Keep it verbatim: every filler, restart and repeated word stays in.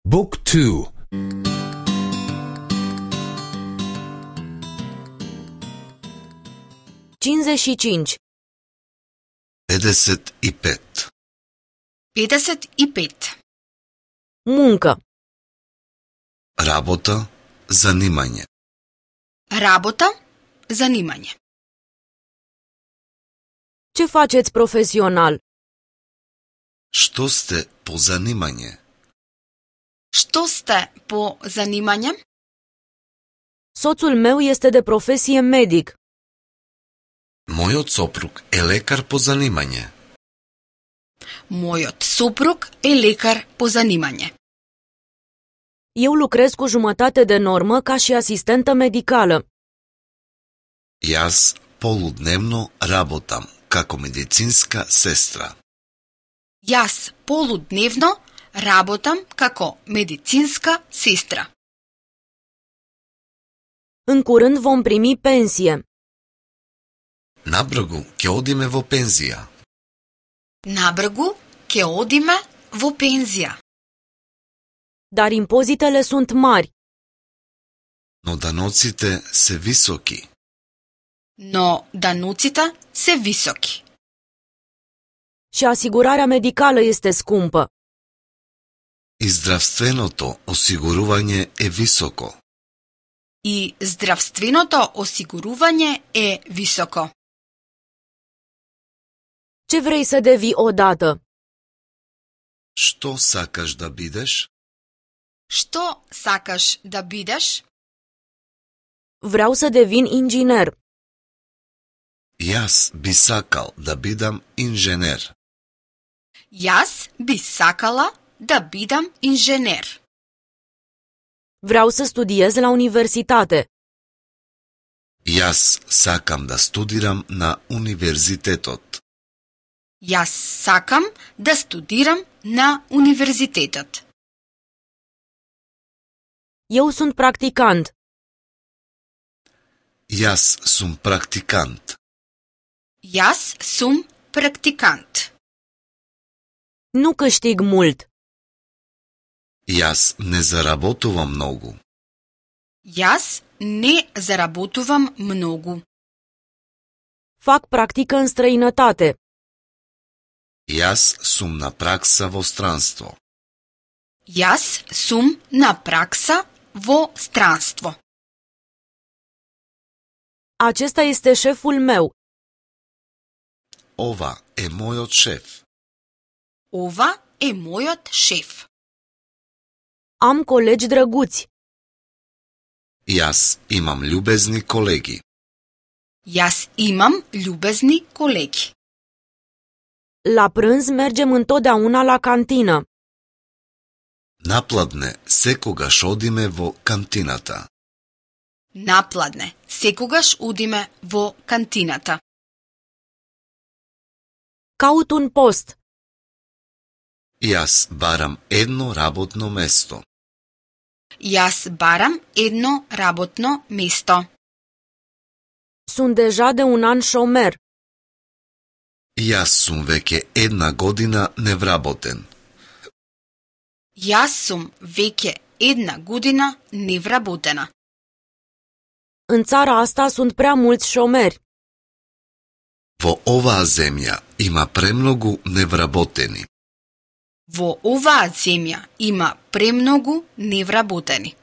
Book two. cincizeci și cinci. pedeset и пет. pedeset и пет. Muncă. Работа, занимање. Работа, занимање. Ce faceți profesional? Што сте по занимање? Што сте по занимање? Soțul meu este de profesie medic. Мојот сопруг е лекар по занимање. Мојот сопруг е лекар по занимање. Eu lucrez cu jumătate de normă ca și asistentă medicală. Јас полудневно работам како медицинска сестра. Јас полудневно работам како медицинска сестра. În curând vom primi pensie. Набргу ќе одиме во пензија. Набргу ќе одиме во пензија. Dar impozitele sunt mari. Но даноците се високи. Но даноците се високи. Și asigurarea medicală este scumpă. И здравственото осигурување е високо. И здравственото осигурување е високо. Ce vrei să devii odată? Што сакаш да бидеш? Што сакаш да бидеш? Vreau să devin inginer. Јас би сакал да бидам инженер. Јас би сакала да бидам инженер. Vreau să studiez la universitate. Јас сакам да студирам на универзитетот. Јас сакам да студирам на универзитетот. Eu sunt practicant. Јас сум практикант. Јас сум практикант. Nu câștig mult. Јас не заработувам многу. Јас не заработувам многу. Fac practică în străinătate. Јас сум на пракса во странство. Јас сум на пракса во странство. Acesta este șeful meu. Ова е мојот шеф. Ова е мојот шеф. Am colegi drăguți. Јас имам љубезни колеги. Јас имам љубезни колеги. La prânz mergem întotdeauna la cantină. Напладне секогаш одиме во кантината. Напладне секогаш одиме во кантината. Caut un post. Јас барам едно работно место. Јас барам едно работно место. Sunt deja de un an șomer. Јас сум веќе една година невработен. Јас сум веќе една година невработена. În țara asta sunt prea mulți șomeri. Во оваа земја има премногу невработени. Во оваа земја има премногу невработени.